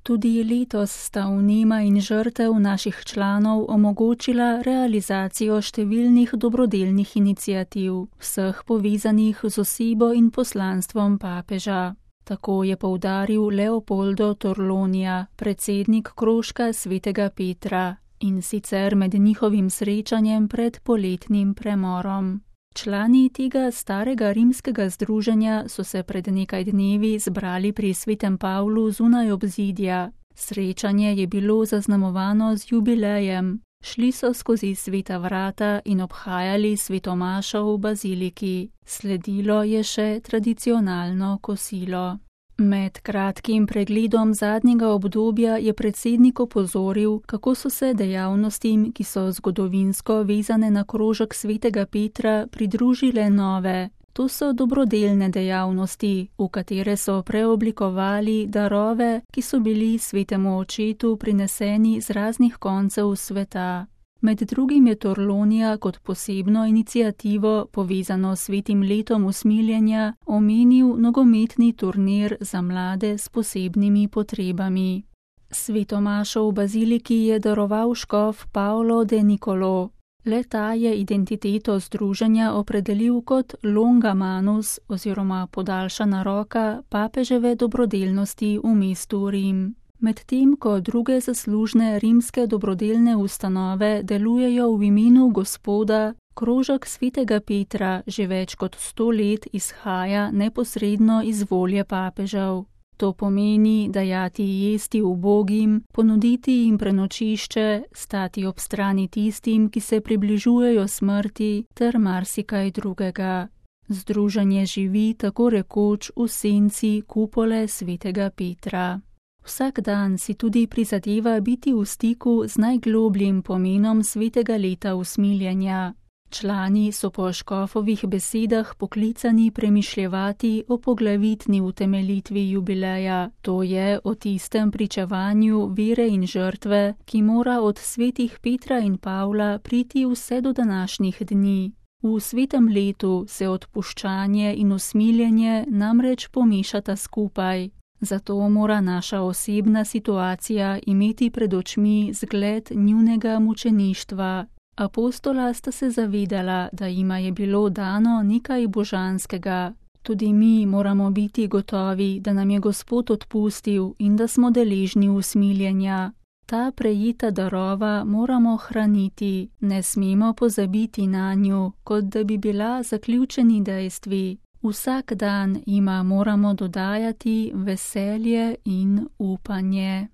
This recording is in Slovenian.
Tudi letos sta vnema in žrtev naših članov omogočila realizacijo številnih dobrodelnih iniciativ, vseh povezanih z osebo in poslanstvom papeža. Tako je poudaril Leopoldo Torlonija, predsednik krožka Svetega Petra, in sicer med njihovim srečanjem pred poletnim premorom. Člani tega starega rimskega združenja so se pred nekaj dnevi zbrali pri Svetem Pavlu zunaj obzidja. Srečanje je bilo zaznamovano z jubilejem. Šli so skozi sveta vrata in obhajali svetomašo v baziliki. Sledilo je še tradicionalno kosilo. Med kratkim pregledom zadnjega obdobja je predsednik opozoril, kako so se dejavnostim, ki so zgodovinsko vezane na krožek Svetega Petra, pridružile nove. To so dobrodelne dejavnosti, v katere so preoblikovali darove, ki so bili Svetemu Očetu prineseni z raznih koncev sveta. Med drugim je Torlonija kot posebno iniciativo, povezano s svetim letom usmiljenja, omenil nogometni turnir za mlade s posebnimi potrebami. Svetomašo v baziliki je daroval škof Paolo de Nicolo. Le-ta je identiteto združenja opredelil kot longa manus oziroma podaljšana roka papeževe dobrodelnosti v mestu Rim. Medtem ko druge zaslužne rimske dobrodelne ustanove delujejo v imenu Gospoda, krožek Svetega Petra že več kot 100 let izhaja neposredno iz volje papežev. To pomeni dajati jesti ubogim, ponuditi jim prenočišče, stati ob strani tistim, ki se približujejo smrti, ter marsikaj drugega. Združenje živi tako rekoč v senci kupole Svetega Petra. Vsak dan si tudi prizadeva biti v stiku z najglobljim pomenom svetega leta usmiljenja. Člani so po škofovih besedah poklicani premišljevati o poglavitni utemeljitvi jubileja, to je o tistem pričevanju vere in žrtve, ki mora od svetih Petra in Pavla priti vse do današnjih dni. V svetem letu se odpuščanje in usmiljenje namreč pomešata skupaj. Zato mora naša osebna situacija imeti pred očmi zgled njunega mučeništva. Apostola sta se zavedala, da jima je bilo dano nekaj božanskega. Tudi mi moramo biti gotovi, da nam je Gospod odpustil in da smo deležni usmiljenja. Ta prejeta darova moramo hraniti, ne smemo pozabiti nanju, kot da bi bila zaključeni dejstvi. Vsak dan jima moramo dodajati veselje in upanje.